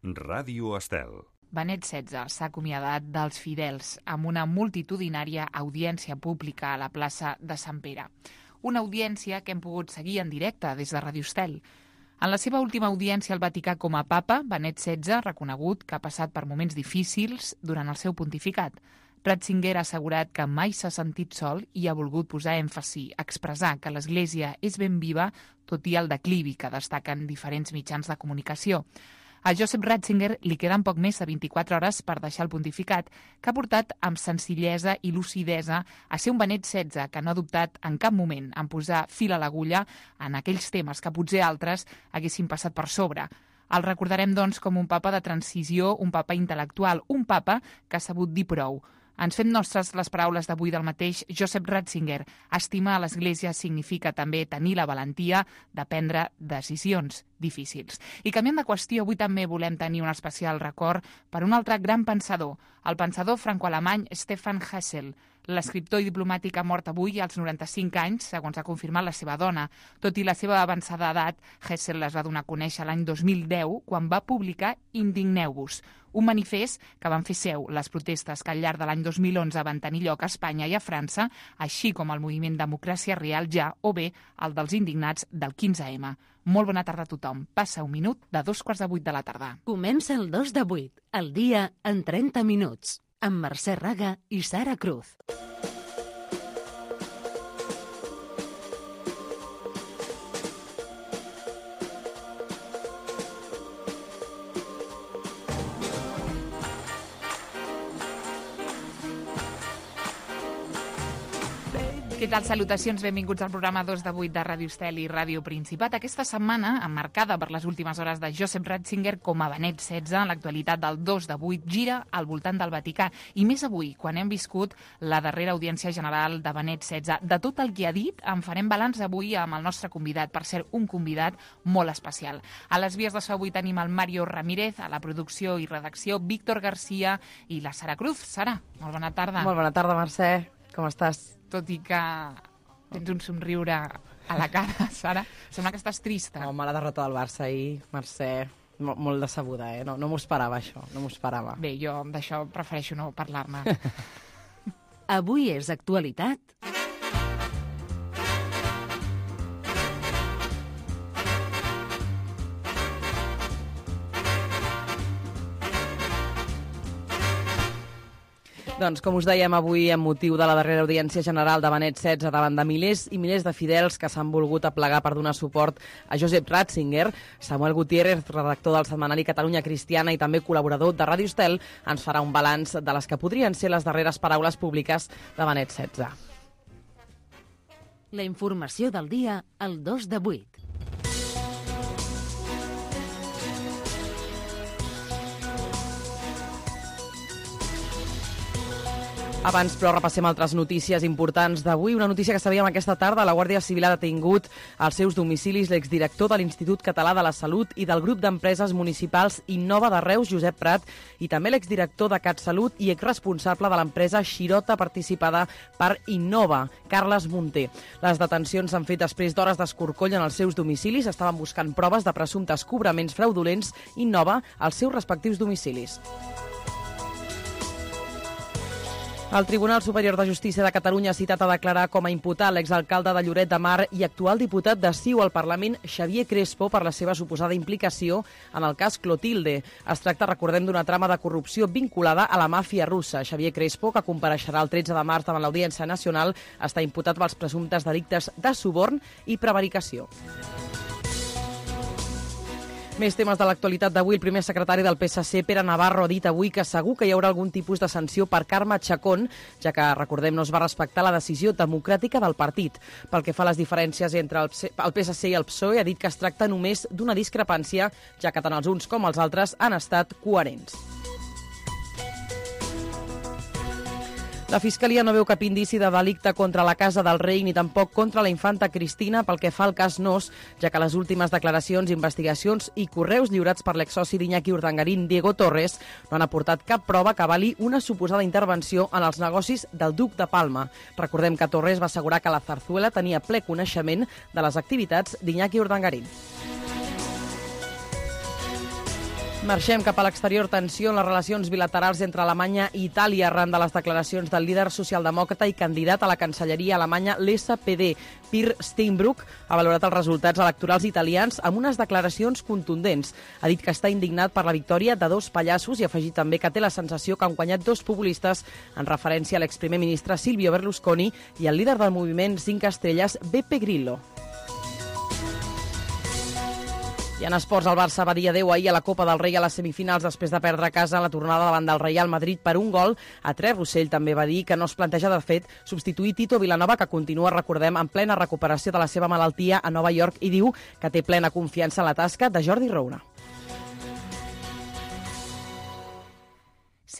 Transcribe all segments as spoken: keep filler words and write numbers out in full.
Ràdio Estel. Benet setze s'ha acomiadat dels fidels amb una multitudinària audiència pública a la plaça de Sant Pere. Una audiència que hem pogut seguir en directe des de Ràdio Estel. En la seva última audiència al Vaticà com a papa, Benet setze ha reconegut que ha passat per moments difícils durant el seu pontificat. Ratzinger ha assegurat que mai s'ha sentit sol i ha volgut posar èmfasi, expressar que l'Església és ben viva, tot i el declivi que destaquen diferents mitjans de comunicació. A Joseph Ratzinger li queden poc més de vint-i-quatre hores per deixar el pontificat, que ha portat amb senzillesa i lucidesa a ser un Benet setze que no ha dubtat en cap moment en posar fil a l'agulla en aquells temes que potser altres haguessin passat per sobre. El recordarem, doncs, com un papa de transició, un papa intel·lectual, un papa que ha sabut dir prou. Ens fem nostres les paraules d'avui del mateix Joseph Ratzinger. Estimar a l'Església significa també tenir la valentia de prendre decisions difícils. I canviant de qüestió, avui també volem tenir un especial record per un altre gran pensador, el pensador franco-alemany Stefan Hessel. L'escriptor i diplomàtic ha mort avui als noranta-cinc anys, segons ha confirmat la seva dona. Tot i la seva avançada edat, Hessel les va donar a conèixer l'any dos mil deu, quan va publicar Indigneu-vos, un manifest que van fer seu les protestes que al llarg de l'any dos mil onze van tenir lloc a Espanya i a França, així com el moviment Democràcia Real Ja, o bé el dels indignats del quinze eme. Molt bona tarda a tothom. Passa un minut de dos quarts de vuit de la tarda. Comença el dos de vuit, el dia en trenta minuts, amb Mercè Raga i Sara Cruz. Què tal? Salutacions, benvinguts al programa dos de vuit de Ràdio Estel i Ràdio Principat. Aquesta setmana, emmarcada per les últimes hores de Joseph Ratzinger com a Benet setze, l'actualitat del dos de vuit gira al voltant del Vaticà. I més avui, quan hem viscut la darrera audiència general de Benet setze. De tot el que ha dit, en farem balanç avui amb el nostre convidat, per ser un convidat molt especial. A les vies de so avui tenim el Mario Ramírez, a la producció i redacció, Víctor Garcia i la Sara Cruz. Sara, molt bona tarda. Molt bona tarda, Mercè. Com estàs? Tot i que tens un somriure a la cara, Sara, sembla que estàs trista. Home, la derrota del Barça ahir, Mercè, molt, molt decebuda, eh? No, no m'ho esperava, això, no m'ho esperava. Bé, jo d'això prefereixo no parlar-ne. Avui és actualitat. Doncs, com us dèiem avui, amb motiu de la darrera audiència general de Benet setze davant de milers i milers de fidels que s'han volgut aplegar per donar suport a Joseph Ratzinger, Samuel Gutiérrez, redactor del setmanari Catalunya Cristiana i també col·laborador de Ràdio Estel, ens farà un balanç de les que podrien ser les darreres paraules públiques de Benet setze. La informació del dia al dos de vuit. Abans, però, repassem altres notícies importants d'avui. Una notícia que sabíem aquesta tarda. La Guàrdia Civil ha detingut als seus domicilis l'exdirector de l'Institut Català de la Salut i del grup d'empreses municipals Innova de Reus, Josep Prat, i també l'exdirector de CatSalut i exresponsable de l'empresa Xirota participada per Innova, Carles Munter. Les detencions s'han fet després d'hores d'escorcoll en els seus domicilis. Estaven buscant proves de presumptes cobraments fraudulents Innova als seus respectius domicilis. El Tribunal Superior de Justícia de Catalunya ha citat a declarar com a imputat l'exalcalde de Lloret de Mar i actual diputat de C I U al Parlament, Xavier Crespo, per la seva suposada implicació en el cas Clotilde. Es tracta, recordem, d'una trama de corrupció vinculada a la màfia russa. Xavier Crespo, que compareixerà el tretze de març davant l'Audiència Nacional, està imputat pels presumptes delictes de suborn i prevaricació. Més temes de l'actualitat d'avui. El primer secretari del P S C, Pere Navarro, ha dit avui que segur que hi haurà algun tipus de sanció per Carme Chacón, ja que, recordem, no es va respectar la decisió democràtica del partit. Pel que fa a les diferències entre el P S C i el P S O E, ha dit que es tracta només d'una discrepància, ja que tant els uns com els altres han estat coherents. La Fiscalia no veu cap indici de delicte contra la Casa del Rei ni tampoc contra la infanta Cristina pel que fa al cas Nos, ja que les últimes declaracions, investigacions i correus lliurats per l'exsoci d'Iñaki Urdangarín, Diego Torres, no han aportat cap prova que avali una suposada intervenció en els negocis del duc de Palma. Recordem que Torres va assegurar que la Zarzuela tenia ple coneixement de les activitats d'Iñaki Urdangarín. Marxem cap a l'exterior. Tensió en les relacions bilaterals entre Alemanya i Itàlia arran de les declaracions del líder socialdemòcrata i candidat a la cancelleria alemanya, l'S P D. Peer Steinbrück ha valorat els resultats electorals italians amb unes declaracions contundents. Ha dit que està indignat per la victòria de dos pallassos i ha afegit també que té la sensació que han guanyat dos populistes en referència a l'exprimer ministre Silvio Berlusconi i al líder del moviment Cinc Estrelles, Beppe Grillo. I en esports, el Barça va dir adeu ahir a la Copa del Rei a les semifinals després de perdre a casa la tornada davant del Real Madrid per un gol a tres. Rossell també va dir que no es planteja, de fet, substituir Tito Vilanova, que continua, recordem, en plena recuperació de la seva malaltia a Nova York, i diu que té plena confiança en la tasca de Jordi Roura.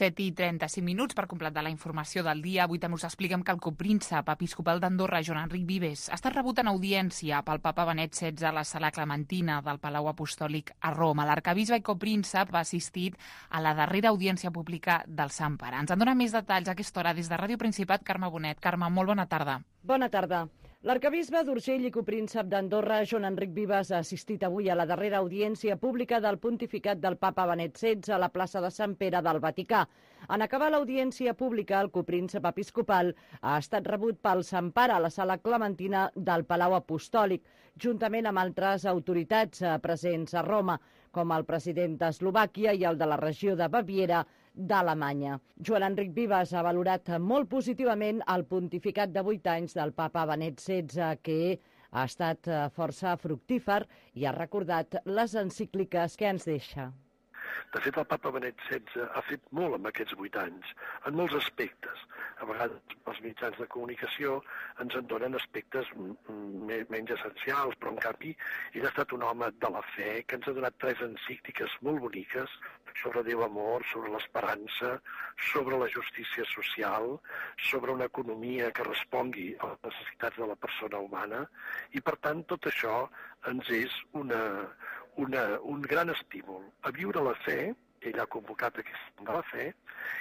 set i trenta-cinc minuts per completar la informació del dia. Avui també us expliquem que el copríncep episcopal d'Andorra, Joan Enric Vives, ha estat rebut en audiència pel papa Benet setze a la sala Clementina del Palau Apostòlic a Roma. L'arcabisbe i copríncep ha assistit a la darrera audiència pública del Sant Pare. Ens en dona més detalls a aquesta hora des de Ràdio Principat, Carme Bonet. Carme, molt bona tarda. Bona tarda. L'arcabisbe d'Urgell i copríncep d'Andorra, Joan Enric Vives, ha assistit avui a la darrera audiència pública del pontificat del papa Benet setze a la plaça de Sant Pere del Vaticà. En acabar l'audiència pública, el copríncep episcopal ha estat rebut pel Sant Pare a la sala Clementina del Palau Apostòlic, juntament amb altres autoritats presents a Roma, com el president d'Eslovàquia i el de la regió de Baviera d'Alemanya. Joan Enric Vives ha valorat molt positivament el pontificat de vuit anys del papa Benet setze, que ha estat força fructífer, i ha recordat les encícliques que ens deixa. De fet, el papa Benet setze ha fet molt en aquests vuit anys, en molts aspectes. A vegades els mitjans de comunicació ens en donen aspectes menys essencials, però en canvi ell ha estat un home de la fe que ens ha donat tres encícliques molt boniques sobre Déu amor, sobre l'esperança, sobre la justícia social, sobre una economia que respongui a les necessitats de la persona humana, i per tant tot això ens és una... Una, un gran estímul a viure la fe, ell ha convocat aquest de la fe,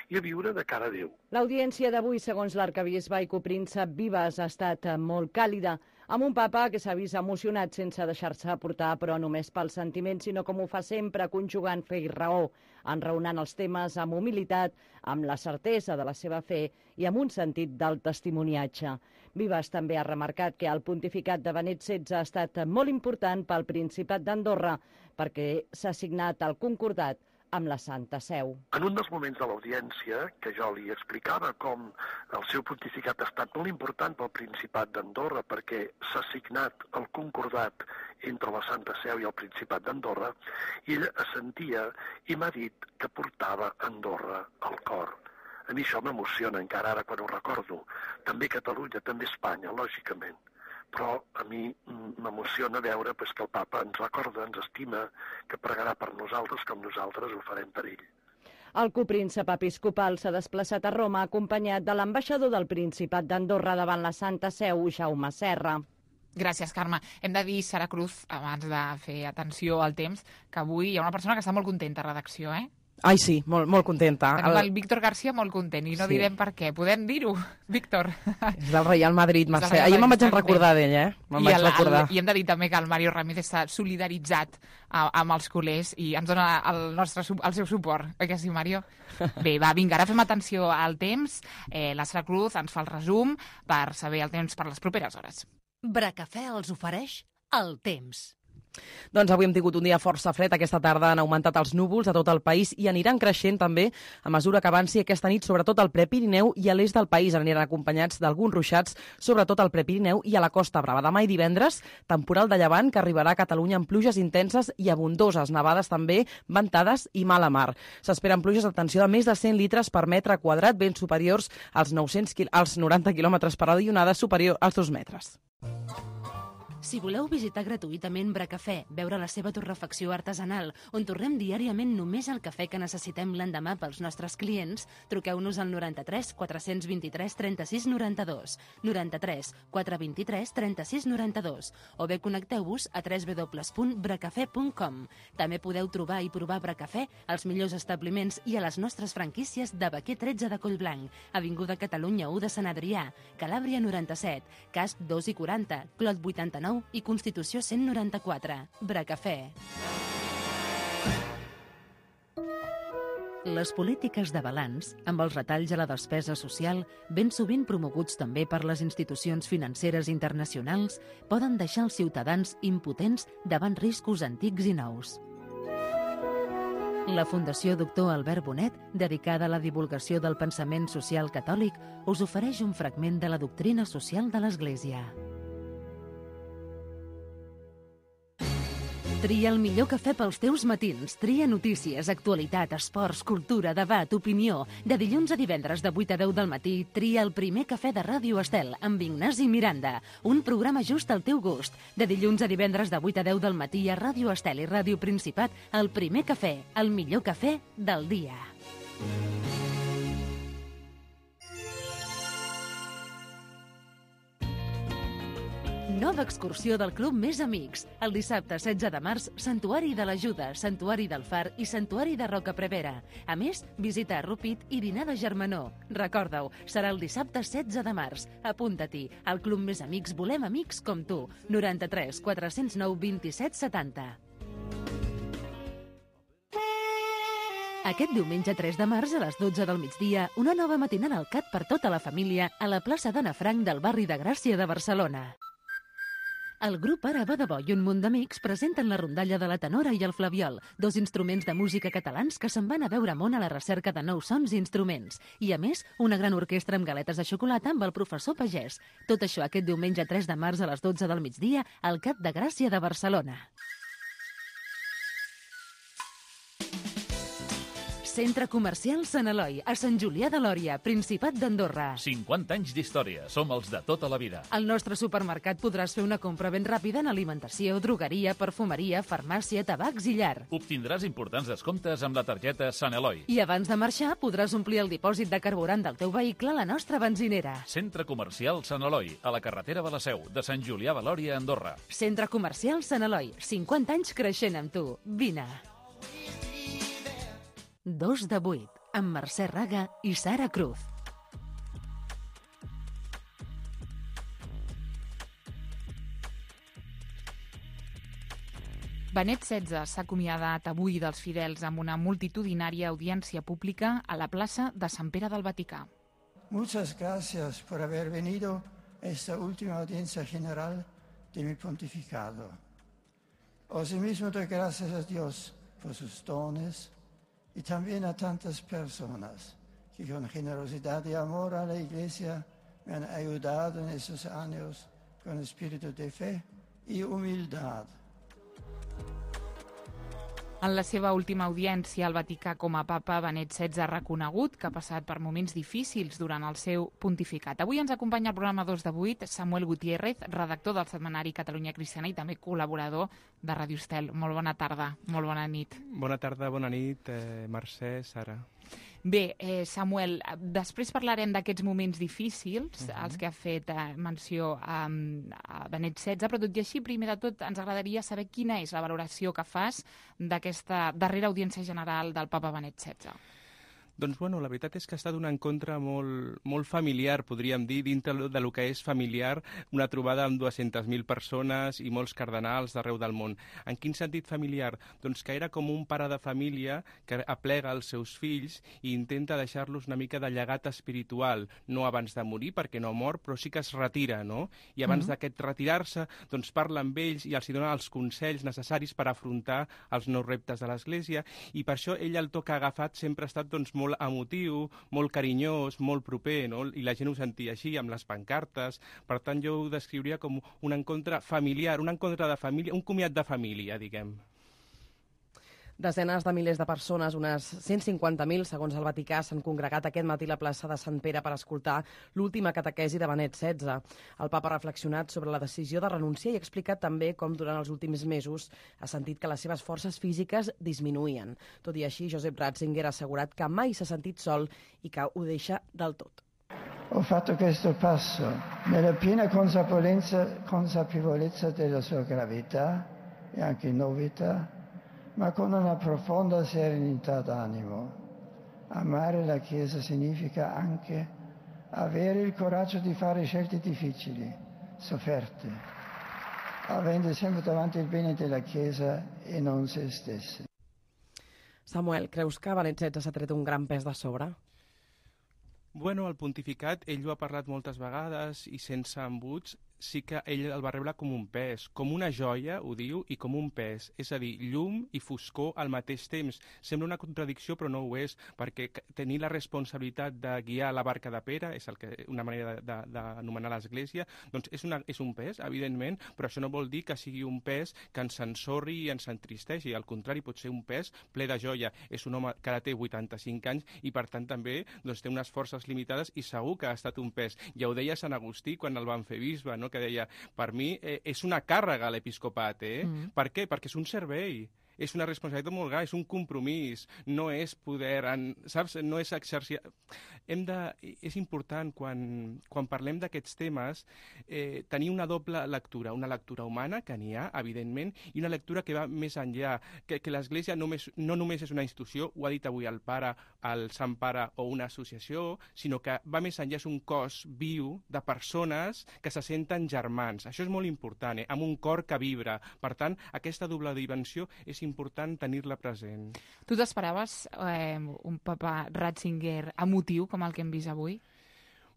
i a viure de cara a Déu. L'audiència d'avui, segons l'arcabisbe i copríncep Vives, ha estat molt càlida, amb un papa que s'ha vist emocionat sense deixar-se portar, però només pel sentiment, sinó com ho fa sempre, conjugant fe i raó, enraonant els temes amb humilitat, amb la certesa de la seva fe i amb un sentit del testimoniatge. Vives també ha remarcat que el pontificat de Benet setze ha estat molt important pel Principat d'Andorra perquè s'ha signat el concordat amb la Santa Seu. En un dels moments de l'audiència, que jo li explicava com el seu pontificat ha estat molt important pel Principat d'Andorra perquè s'ha signat el concordat entre la Santa Seu i el Principat d'Andorra, ell assentia i m'ha dit que portava Andorra al cor. A mi això m'emociona encara ara quan ho recordo. També Catalunya, també Espanya, lògicament. Però a mi m'emociona veure pues, que el papa ens recorda, ens estima, que pregarà per nosaltres com nosaltres ho farem per ell. El copríncep episcopal s'ha desplaçat a Roma acompanyat de l'ambaixador del Principat d'Andorra davant la Santa Seu, Jaume Serra. Gràcies, Carme. Hem de dir, Sara Cruz, abans de fer atenció al temps, que avui hi ha una persona que està molt contenta a redacció, eh? Ai, sí, molt, molt contenta. Tenim el Víctor García molt content i no sí. direm per què. Podem dir-ho, Víctor? És del Real Madrid, Mercè. Ahir me'n vaig recordar d'ell, eh? Me'n vaig el, recordar. El, I hem de dir també que el Mario Ramírez s'ha solidaritzat a, amb els culers i ens dona el, nostre, el seu suport. Oi que sí, Mario? Bé, va, vinga, ara fem atenció al temps. Eh, la Sara Cruz ens fa el resum per saber el temps per les properes hores. Bracafè els ofereix el temps. Doncs avui hem tingut un dia força fred. Aquesta tarda han augmentat els núvols a tot el país i aniran creixent també a mesura que avanci aquesta nit, sobretot al Prepirineu i a l'est del país. Aniran acompanyats d'alguns ruixats, sobretot al Prepirineu i a la Costa Brava. Demà i divendres, temporal de llevant que arribarà a Catalunya amb pluges intenses i abundoses, nevades també, ventades i mala mar. S'esperen pluges, atenció, de més de cent litres per metre quadrat, ben superiors als, nou-cents, als noranta quilòmetres per hora i onades superior als dos metres. Si voleu visitar gratuïtament Bracafè, veure la seva torrefacció artesanal, on torrem diàriament només el cafè que necessitem l'endemà pels nostres clients, truqueu-nos al noranta-tres quatre-cents vint-i-tres trenta-sis noranta-dos, noranta-tres quatre vint-i-tres trenta-sis noranta-dos, o bé connecteu-vos a w w w punt bracafè punt com. També podeu trobar i provar Bracafè als millors establiments i a les nostres franquícies de Baquer tretze de Collblanc, Avinguda Catalunya u de Sant Adrià, Calàbria noranta-set, Casp dos i quaranta, Clot vuitanta-nou i Constitució cent noranta-quatre. Bracafè. Les polítiques de balanç, amb els retalls a la despesa social, ben sovint promoguts també per les institucions financeres internacionals, poden deixar els ciutadans impotents davant riscos antics i nous. La Fundació Doctor Albert Bonet, dedicada a la divulgació del pensament social catòlic, us ofereix un fragment de la doctrina social de l'Església. Tria el millor cafè pels teus matins. Tria notícies, actualitat, esports, cultura, debat, opinió. De dilluns a divendres de vuit a deu del matí, tria el primer cafè de Ràdio Estel amb Ignasi Miranda. Un programa just al teu gust. De dilluns a divendres de vuit a deu del matí a Ràdio Estel i Ràdio Principat, el primer cafè, el millor cafè del dia. Nova excursió del Club Més Amics. El dissabte setze de març, Santuari de l'Ajuda, Santuari del Far i Santuari de Rocaprevera. A més, visita a Rupit i dinar de germanor. Recorda-ho, serà el dissabte setze de març. Apunta-t'hi. Al Club Més Amics volem amics com tu. noranta-tres quatre-cents nou vint-i-set setanta. Aquest diumenge tres de març a les dotze del migdia, una nova matinal al Cat per tota la família a la plaça d'Anna Frank del barri de Gràcia de Barcelona. El grup Ara va de bo i un munt d'amics presenten la rondalla de la tenora i el flabiol, dos instruments de música catalans que se'n van a veure món a la recerca de nous sons i instruments. I, a més, una gran orquestra amb galetes de xocolata amb el professor Pagès. Tot això aquest diumenge tres de març a les dotze del migdia al Cat de Gràcia de Barcelona. Centre Comercial Sant Eloi, a Sant Julià de Lòria, Principat d'Andorra. cinquanta anys d'història. Som els de tota la vida. Al nostre supermercat podràs fer una compra ben ràpida en alimentació, drogueria, perfumeria, farmàcia, tabacs i llar. Obtindràs importants descomptes amb la targeta Sant Eloi. I abans de marxar podràs omplir el dipòsit de carburant del teu vehicle a la nostra benzinera. Centre Comercial Sant Eloi, a la carretera de la Seu, de Sant Julià de Lòria, Andorra. Centre Comercial Sant Eloi, cinquanta anys creixent amb tu. Vine. Dos de vuit, amb Mercè Raga i Sara Cruz. Benet setze s'ha acomiadat avui dels fidels amb una multitudinària audiència pública a la plaça de Sant Pere del Vaticà. Muchas gracias por haber venido a esta última audiencia general de mi pontificado. Asimismo doy gracias a Dios por sus dones y también a tantas personas que con generosidad y amor a la Iglesia me han ayudado en esos años con espíritu de fe y humildad. En la seva última audiència al Vaticà com a papa, Benet setze ha reconegut que ha passat per moments difícils durant el seu pontificat. Avui ens acompanya al programa dos de vuit Samuel Gutiérrez, redactor del setmanari Catalunya Cristiana i també col·laborador de Ràdio Estel. Molt bona tarda, molt bona nit. Bona tarda, bona nit, eh, Mercè, Sara. Bé, eh, Samuel, després parlarem d'aquests moments difícils, uh-huh. als que ha fet eh, menció a, a Benet setze, però tot i així, primer de tot, ens agradaria saber quina és la valoració que fas d'aquesta darrera audiència general del papa Benet setze. Doncs, bueno, la veritat és que ha estat un encontre molt, molt familiar, podríem dir, dintre de lo que és familiar, una trobada amb dues-centes mil persones i molts cardenals d'arreu del món. En quin sentit familiar? Doncs que era com un pare de família que aplega els seus fills i intenta deixar-los una mica de llegat espiritual, no abans de morir, perquè no mor, però sí que es retira, no? I abans mm-hmm. d'aquest retirar-se, doncs parla amb ells i els dona els consells necessaris per afrontar els nous reptes de l'Església, i per això ell el to que ha agafat sempre ha estat doncs, molt emotiu, molt carinyós, molt proper, no? I la gent ho sentia així, amb les pancartes. Per tant, jo ho descriuria com un encontre familiar, un encontre de família, un comiat de família, diguem. Desenes de milers de persones, unes cent cinquanta mil, segons el Vaticà, s'han congregat aquest matí a la plaça de Sant Pere per escoltar l'última catequesi de Benet setze. El papa ha reflexionat sobre la decisió de renunciar i ha explicat també com durant els últims mesos ha sentit que les seves forces físiques disminuïen. Tot i així, Josep Ratzinger ha assegurat que mai s'ha sentit sol i que ho deixa del tot. Ho fatto questo passo nella piena consapevolezza, consapevolezza della sua gravità e anche novità, ma con una profonda serenità d'animo. Amare la Chiesa significa anche avere il coraggio di fare scelte difficili, sofferte, avendo sempre davanti il bene della Chiesa e non se stessi. Samuel, creus que Benet setze s'ha tret un gran pes de sobre? Bueno, el pontificat, ell ho ha parlat moltes vegades i sense embuts, sí que ell el va rebre com un pes, com una joia, ho diu, i com un pes. És a dir, llum i foscor al mateix temps. Sembla una contradicció, però no ho és, perquè tenir la responsabilitat de guiar la barca de Pere, és el que, una manera d'anomenar l'Església, doncs és, una, és un pes, evidentment, però això no vol dir que sigui un pes que ens ensorri i ens entristeixi. Al contrari, pot ser un pes ple de joia. És un home que ara té vuitanta-cinc anys i, per tant, també doncs, té unes forces limitades i segur que ha estat un pes. Ja ho deia Sant Agustí quan el van fer bisbe, no? Que deia, per mi eh, és una càrrega l'episcopat, eh? Mm. Per què? Perquè és un servei. És una responsabilitat molt gran, és un compromís, no és poder, en, saps? No és exercir... Hem de, és important, quan, quan parlem d'aquests temes, eh, tenir una doble lectura, una lectura humana, que n'hi ha, evidentment, i una lectura que va més enllà, que, que l'Església només, no només és una institució, ho ha dit avui el pare, el Sant Pare, o una associació, sinó que va més enllà, és un cos viu de persones que se senten germans. Això és molt important, eh? Amb un cor que vibra. Per tant, aquesta doble dimensió és important tenir-la present. Tu t'esperaves eh, un papa Ratzinger emotiu com el que hem vist avui?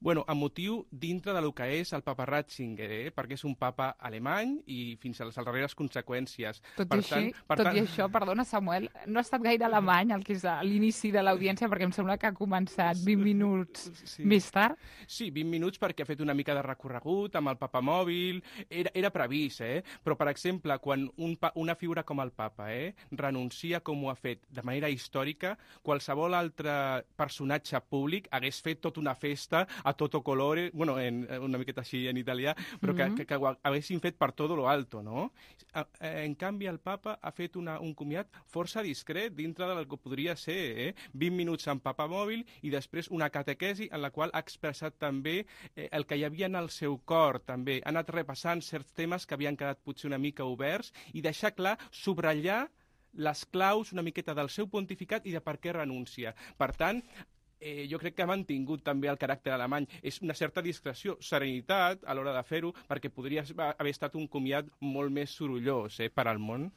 Bueno, emotiu dintre de lo que és el papa Ratzinger, eh? Perquè és un papa alemany i fins a les darreres conseqüències. Tot, per i, tant, així, per tot tant... i això, perdona Samuel, no ha estat gaire alemany el que és l'inici de l'audiència, perquè em sembla que ha començat vint minuts sí. més tard. Sí, vint minuts perquè ha fet una mica de recorregut amb el papa mòbil, era, era previst, eh? Però per exemple, quan un, una figura com el papa eh, renuncia com ho ha fet de manera històrica, qualsevol altre personatge públic hagués fet tota una festa a toto colore, bueno, en, una miqueta així en italià, però que, mm-hmm. que, que ho haguessin fet per todo lo alto, no? En canvi, el papa ha fet una, un comiat força discret dintre del que podria ser, eh? vint minuts en papa mòbil i després una catequesi en la qual ha expressat també eh, el que hi havia en el seu cor, també. Ha anat repassant certs temes que havien quedat potser una mica oberts i deixar clar, subratllar les claus una miqueta del seu pontificat i de per què renuncia. Per tant, Eh, jo crec que ha mantingut també el caràcter alemany. És una certa discreció, serenitat a l'hora de fer-ho, perquè podria haver estat un comiat molt més sorollós eh, per al món.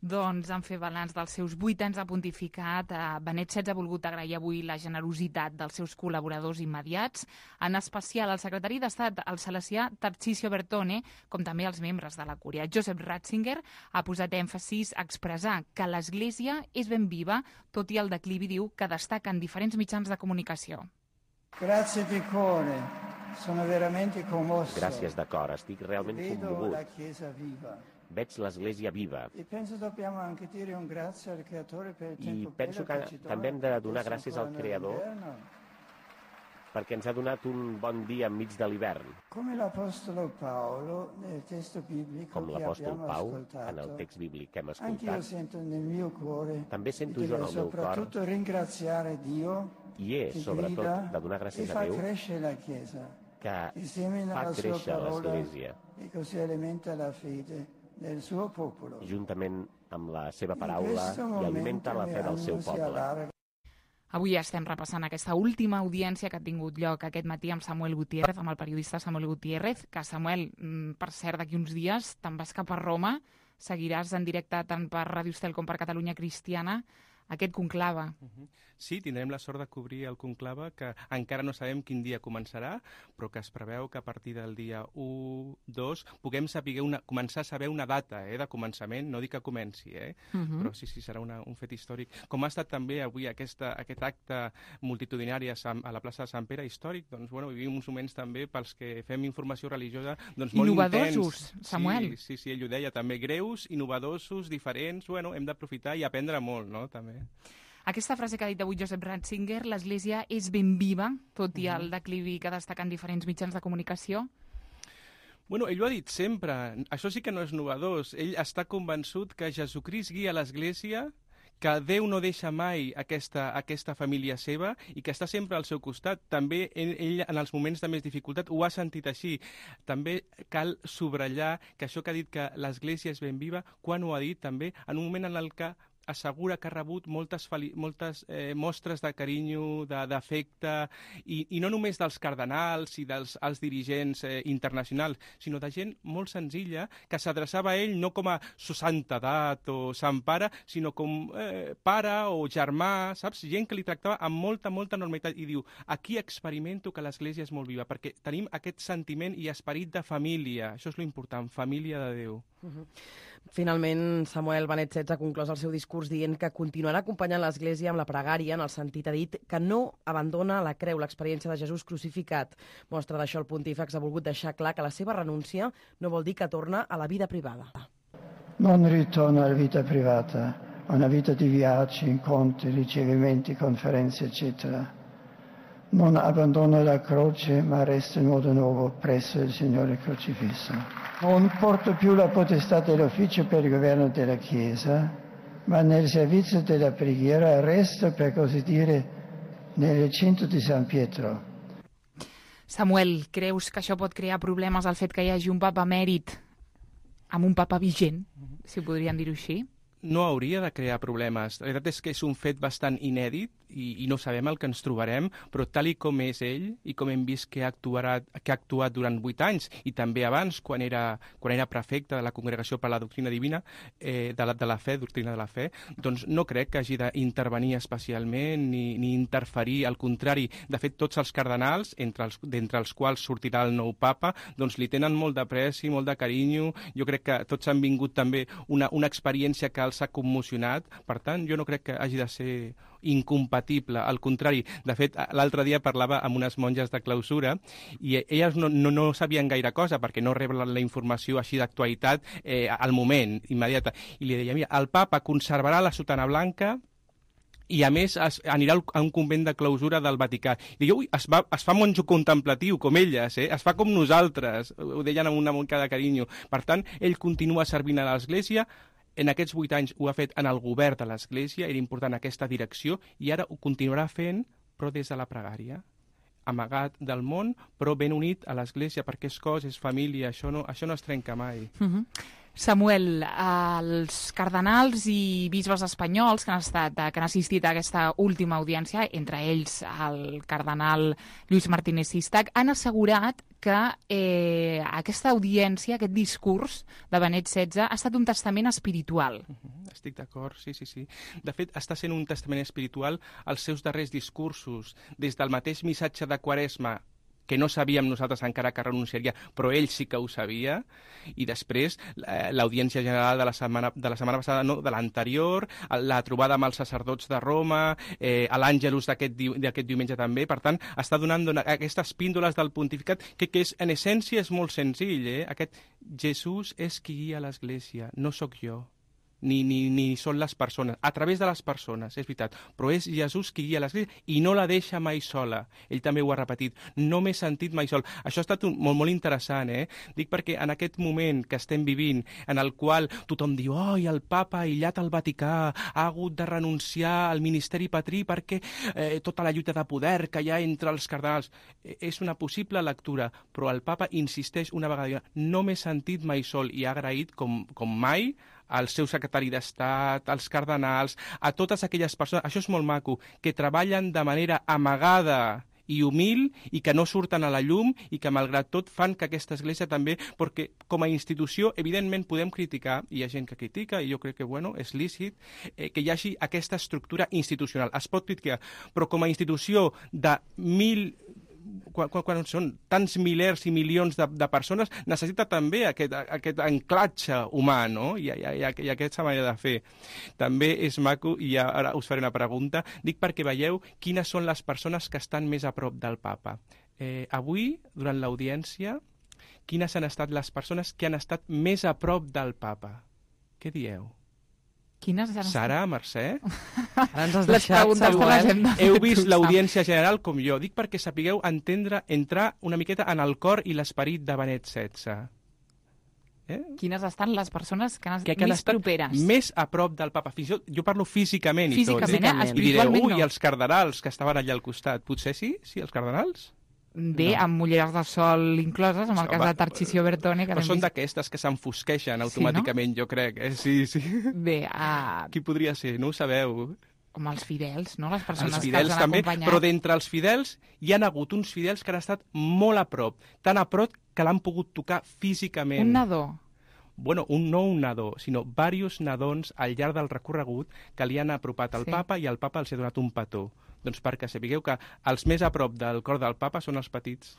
Doncs, en fer balanç dels seus vuit anys de pontificat, eh, Benet setze ha volgut agrair avui la generositat dels seus col·laboradors immediats, en especial al secretari d'Estat, el salesià Tarcisio Bertone, com també els membres de la Cúria. Joseph Ratzinger ha posat èmfasis a expressar que l'Església és ben viva, tot i el declivi, diu, que destaca en diferents mitjans de comunicació. Grazie di cuore, sono veramente commosso. Gràcies de cor, estic realment commogut. La Chiesa viva. Veig l'Església viva. I penso dobbiamo anche dire un grazie al Creatore per il tempo I penso que també hem de donar gràcies al Creador perquè ens ha donat un bon dia enmig de l'hivern. Com l'Apostolo Paolo nel testo biblico Com l'Apòstol Pau en el text bíblic que hem escoltat. Sento nel mio cuore, també sento jo en el meu cor ringraziare Dio i és, sobretot, de donar gràcies a Déu que fa créixer l'Església i così alimenta la fede del suo popolo. Juntament amb la seva paraula i alimenta la fe del seu poble. Avui estem repassant aquesta última audiència que ha tingut lloc aquest matí amb Samuel Gutiérrez, amb el periodista Samuel Gutiérrez, que Samuel, per cert, d'aquí uns dies te'n vas cap a Roma, seguiràs en directe tant per Ràdio Estel com per Catalunya Cristiana aquest conclave. Uh-huh. Sí, tindrem la sort de cobrir el conclave, que encara no sabem quin dia començarà, però que es preveu que a partir del dia u, dos, puguem saber una, començar a saber una data eh, de començament, no dic que comenci, eh? Uh-huh. Però sí, sí, serà una, un fet històric. Com ha estat també avui aquesta, aquest acte multitudinari a, Sant, a la plaça de Sant Pere històric, doncs bueno, vivim uns moments també pels que fem informació religiosa doncs molt innovadosos, intens. Samuel. Sí, sí, sí, ell ho deia, també greus, innovadosos, diferents, bueno, hem d'aprofitar i aprendre molt, no?, també. Aquesta frase que ha dit avui Joseph Ratzinger, l'Església és ben viva, tot i el declivi que destaquen diferents mitjans de comunicació? Bueno, ell ho ha dit sempre. Això sí que no és novedós. Ell està convençut que Jesucrist guia l'Església, que Déu no deixa mai aquesta, aquesta família seva i que està sempre al seu costat. També ell, ell, en els moments de més dificultat, ho ha sentit així. També cal subratllar que això que ha dit que l'Església és ben viva, quan ho ha dit també, en un moment en el que assegura que ha rebut moltes, moltes eh, mostres de carinyo, d'afecte, i, i no només dels cardenals i dels els dirigents eh, internacionals, sinó de gent molt senzilla que s'adreçava a ell no com a su santa edat o sant pare, sinó com eh, pare o germà, saps? Gent que li tractava amb molta, molta normalitat, i diu, aquí experimento que l'Església és molt viva, perquè tenim aquest sentiment i esperit de família, això és lo important, família de Déu. Uh-huh. Finalment, Samuel Benet setze ha conclòs el seu discurs dient que continuarà acompanyant l'Església amb la pregària, en el sentit, ha dit, que no abandona la creu, l'experiència de Jesús crucificat. Mostra d'això el pontífex ha volgut deixar clar que la seva renúncia no vol dir que torna a la vida privada. Non ritorno alla vita privata, a una vita di viaggi, incontri, ricevimenti, conferenze, eccetera. Non abbandono la croce, ma resto in modo nuovo presso il Signore crocifisso. Non porto più la potestà dell'ufficio per il governo della Chiesa, ma nel servizio della preghiera resto, per così dire, nel recinto di San Pietro. Samuel, creus que això pot crear problemes el fet que hi hagi un papa emèrit amb un papa vigent, si podríem dir-ho així? No hauria de crear problemes. La veritat és que és un fet bastant inèdit i, i no sabem el que ens trobarem, però tal i com és ell i com hem vist que ha, actuat, que ha actuat durant vuit anys i també abans, quan era, quan era prefecte de la Congregació per la Doctrina Divina, eh, de, la, de la fe, doctrina de la fe, doncs no crec que hagi d'intervenir especialment ni, ni interferir. Al contrari, de fet, tots els cardenals, entre els, d'entre els quals sortirà el nou papa, doncs li tenen molt d'apreci, molt de carinyo. Jo crec que tots han vingut també una, una experiència que els ha commocionat, per tant, jo no crec que hagi de ser incompatible, al contrari. De fet, l'altre dia parlava amb unes monges de clausura i elles no, no, no sabien gaire cosa perquè no reben la informació així d'actualitat eh, al moment, immediata. I li deia, mira, el papa conservarà la sotana blanca i, a més, es, anirà a un convent de clausura del Vaticà. I diu, ui, es, va, es fa monjo contemplatiu, com elles, eh? Es fa com nosaltres, ho deien amb una mica de carinyo. Per tant, ell continua servint a l'Església. En aquests vuit anys ho ha fet en el govern de l'Església, era important aquesta direcció, i ara ho continuarà fent, però des de la pregària, amagat del món, però ben unit a l'Església, perquè és cos, és família, això no, això no es trenca mai. Uh-huh. Samuel, els cardenals i bisbes espanyols que han, estat, que han assistit a aquesta última audiència, entre ells el cardenal Lluís Martínez Sistac, han assegurat que eh, aquesta audiència, aquest discurs de Benet setze ha estat un testament espiritual. Uh-huh, estic d'acord, sí, sí, sí. De fet, està sent un testament espiritual els seus darrers discursos, des del mateix missatge de Quaresma, que no sabíem nosaltres encara que renunciaria, però ell sí que ho sabia, i després l'audiència general de la setmana, de la setmana passada, no, de l'anterior, la trobada amb els sacerdots de Roma, eh, l'Àngelus d'aquest diumenge també. Per tant, està donant, donant aquestes píndoles del pontificat, que, que és, en essència és molt senzill, eh? Aquest Jesús és qui guia l'Església, no sóc jo. Ni, ni, ni són les persones, a través de les persones, és veritat, però és Jesús qui guia l'Església i no la deixa mai sola. Ell també ho ha repetit, no m'he sentit mai sol. Això ha estat un, molt, molt interessant, eh? Dic perquè en aquest moment que estem vivint, en el qual tothom diu, oi, el papa aïllat al Vaticà ha hagut de renunciar al ministeri patrí perquè eh, tota la lluita de poder que hi ha entre els cardenals, eh, és una possible lectura, però el papa insisteix una vegada, no m'he sentit mai sol, i ha agraït com, com mai al seu secretari d'Estat, als cardenals, a totes aquelles persones, això és molt maco, que treballen de manera amagada i humil i que no surten a la llum i que, malgrat tot, fan que aquesta església també, perquè com a institució, evidentment, podem criticar, i hi ha gent que critica, i jo crec que, bueno, és lícit, eh, que hi hagi aquesta estructura institucional. Es pot criticar, però com a institució de mil... Quan, quan, quan són tants milers i milions de, de persones, necessita també aquest, aquest anclatge humà, no? I, i, i, i aquesta manera de fer. També és maco, i ja, ara us faré una pregunta, dic perquè veieu quines són les persones que estan més a prop del papa. Eh, avui, durant l'audiència, quines han estat les persones que han estat més a prop del papa? Què dieu? Quines han... Sara, Mercè? Ara ens has deixat, Samuel. Heu vist l'audiència general com jo. Dic perquè sapigueu entendre, entrar una miqueta en el cor i l'esperit de Benet setze. Eh? Quines estan les persones que han, que, que han més estat properes? Més a prop del papa. Fins i tot, jo parlo físicament i físicament, tot. Eh? I direu, ui, no. els cardenals que estaven allà al costat. Potser sí? Sí, els cardenals? Bé, No. amb ulleres de sol incloses, en el cas Va, de Tarcisio Bertone. Que Però l'hem són vist. d'aquestes que s'enfosqueixen automàticament, jo crec. Eh? Sí, sí. Bé, uh, Qui podria ser? No ho sabeu? com els fidels, no? Les persones Els que fidels els han també, acompanyat. però d'entre els fidels hi han hagut uns fidels que han estat molt a prop, tan a prop que l'han pogut tocar físicament. Un nadó. Bueno, un, no un nadó, sinó diversos nadons al llarg del recorregut que li han apropat al Sí. papa i el papa els ha donat un petó. Doncs perquè sapigueu que els més a prop del cor del papa són els petits,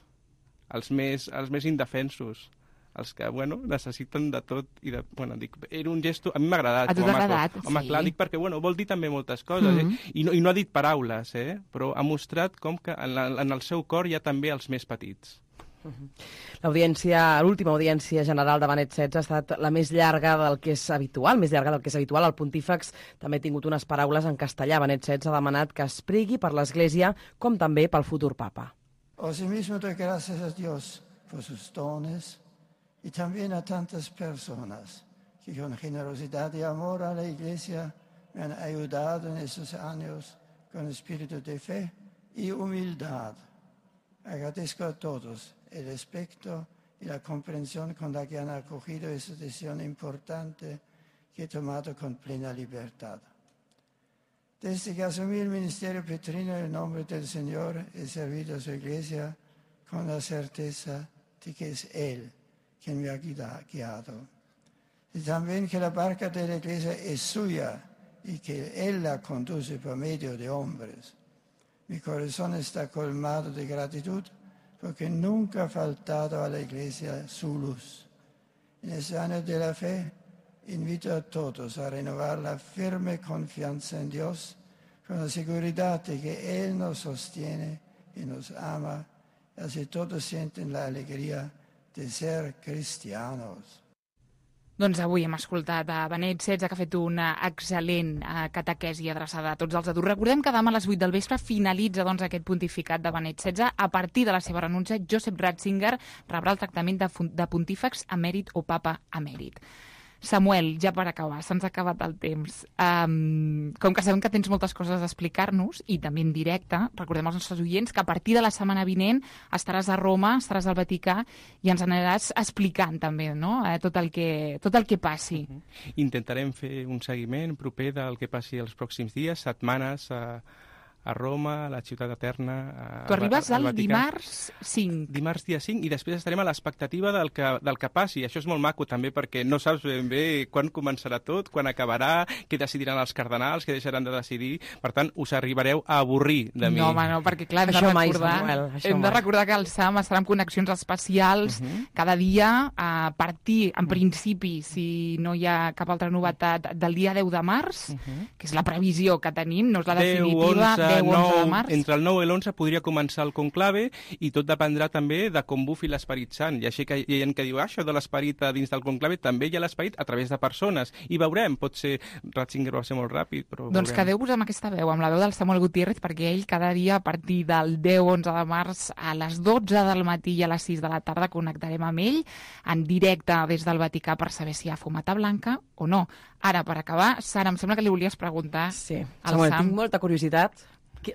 els més, els més indefensos, els que, bueno, necessiten de tot i de... Bueno, dic, era un gesto... A mi m'ha agradat. A tu com t'ha maco. agradat? Home, Sí. clar, dic perquè, bueno, vol dir també moltes coses, Mhm. eh? I no, I no ha dit paraules, eh? Però ha mostrat com que en, la, en el seu cor hi ha també els més petits. L'audiència, l'última audiència general de Benet setze ha estat la més llarga del que és habitual, més llarga del que és habitual. El pontífex també ha tingut unes paraules en castellà. Benet setze ha demanat que es pregui per l'Església com també pel futur papa. Asimismo doy gracias a Dios por sus dones y también a tantas personas que con generosidad y amor a la Iglesia me han ayudado en estos años con espíritu de fe y humildad. Agradezco a todos el respeto y la comprensión con la que han acogido esta decisión importante que he tomado con plena libertad. Desde que asumí el ministerio petrino en el nombre del Señor, he servido a su Iglesia con la certeza de que es Él quien me ha guiado. Y también que la barca de la Iglesia es suya y que Él la conduce por medio de hombres. Mi corazón está colmado de gratitud porque nunca ha faltado a la Iglesia su luz. En este año de la fe, invito a todos a renovar la firme confianza en Dios con la seguridad de que Él nos sostiene y nos ama, y así todos sienten la alegría de ser cristianos. Doncs avui hem escoltat a Benet setze, que ha fet una excel·lent eh, catequesi adreçada a tots els adults. Recordem que demà a les vuit del vespre finalitza doncs, aquest pontificat de Benet setze. A partir de la seva renúncia, Josep Ratzinger rebrà el tractament de, de pontífex emèrit o papa emèrit. Samuel, ja per acabar, se'ns ha acabat el temps. Um, com que sabem que tens moltes coses a explicar-nos, i també en directe, recordem als nostres oients que a partir de la setmana vinent estaràs a Roma, estaràs al Vaticà, i ens aniràs explicant també, no?, eh, tot, el que, tot el que passi. Uh -huh. Intentarem fer un seguiment proper del que passi els pròxims dies, setmanes, a, a Roma, a la Ciutat Eterna... A, tu arribes al el dimarts cinc. Dimarts dia cinc, i després estarem a l'expectativa del, que, del que passi. Això és molt maco també, perquè no saps ben bé quan començarà tot, quan acabarà, què decidiran els cardenals, què deixaran de decidir. Per tant, us arribareu a avorrir de mi. No, home, no, perquè clar, hem Això de mai, recordar, Samuel, això hem de mai. recordar que el S A M estarà amb connexions especials Uh -huh. cada dia, a partir, en principi, si no hi ha cap altra novetat, del dia deu de març, Uh -huh. que és la previsió que tenim, no és la deu, definitiva, onze, deu onze de nou, març. entre el nou i l'onze podria començar el conclave, i tot dependrà també de com bufi l'Esperit Sant. I així que hi ha gent que diu, ah, això de l'esperit a dins del conclave, també hi ha l'esperit a través de persones. I veurem, pot ser... Ratzinger va ser molt ràpid, però Doncs veurem. quedeu-vos amb aquesta veu, amb la veu del Samuel Gutiérrez, perquè ell cada dia a partir del deu onze de març a les dotze del matí i a les sis de la tarda connectarem amb ell en directe des del Vaticà per saber si hi ha fumata blanca o no. Ara, per acabar, Sara, em sembla que li volies preguntar Sí, al Samuel, Sam. tinc molta curiositat.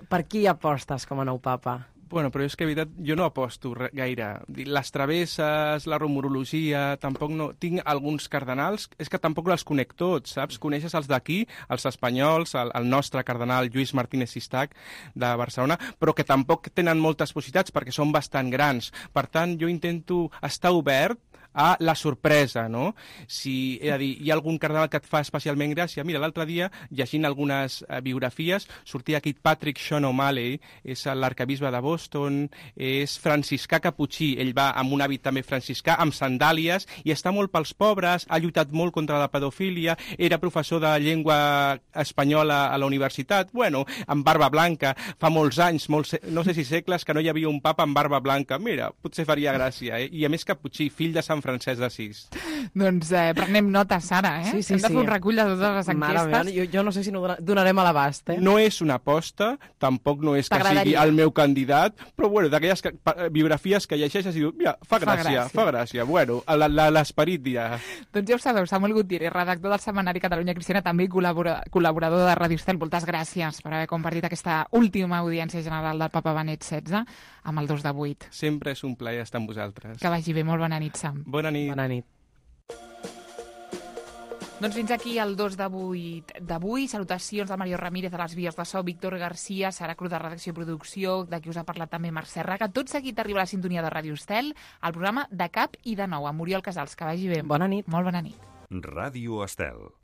Per qui apostes com a nou papa? Bueno, però és que, de veritat, jo no aposto re- gaire. Les travesses, la rumorologia, tampoc no... Tinc alguns cardenals, és que tampoc els conec tots, saps? Coneixes els d'aquí, els espanyols, el, el nostre cardenal Lluís Martínez Sistac, de Barcelona, però que tampoc tenen moltes possibilitats perquè són bastant grans. Per tant, jo intento estar obert a la sorpresa, no? Si, és a dir, hi ha algun cardenal que et fa especialment gràcia. Mira, l'altre dia, llegint algunes eh, biografies, sortia aquí Patrick Sean O'Malley, és l'arcabisbe de Boston, és franciscà caputxí, ell va amb un hàbit també franciscà, amb sandàlies, i està molt pels pobres, ha lluitat molt contra la pedofília, era professor de llengua espanyola a la universitat, bueno, amb barba blanca, fa molts anys, molts, no sé si segles, que no hi havia un papa amb barba blanca. Mira, potser faria gràcia, eh? I a més caputxí, fill de Sant en Francesc d'Assís. Doncs eh, prenem nota, Sara, eh? Sí, sí, Hem de sí. fer un recull de totes les enquestes. Mare meva, jo, jo no sé si no donarem a l'abast, eh? No és una aposta, tampoc no és que sigui T'agradaria. el meu candidat, però bueno, d'aquelles que- pa- biografies que llegeixes i dius, mira, fa Fa gràcia, gràcia. fa gràcia. Bueno, la- la- l'esperit dirà. Doncs ja ho sabeu, Samuel Gutiérrez, redactor del setmanari Catalunya Cristiana, també col·labora, col·laborador de Ràdio Estel. Moltes gràcies per haver compartit aquesta última audiència general del Papa Benet setze amb el dos de vuit. Sempre és un plaer estar amb vosaltres. Que vagi bé, molt bona nit, Sam. Bona nit. Bona nit. Doncs fins aquí el dos de vuit d'avui. Salutacions de Mario Ramírez a les vies de so, Víctor Garcia, Sara Cruz de Redacció i Producció, de qui us ha parlat també Mercè Raga. Tot seguit arriba a la sintonia de Ràdio Estel, el programa De Cap i de Nou, amb Oriol Casals. Que vagi bé. Bona nit. Molt bona nit. Ràdio Estel.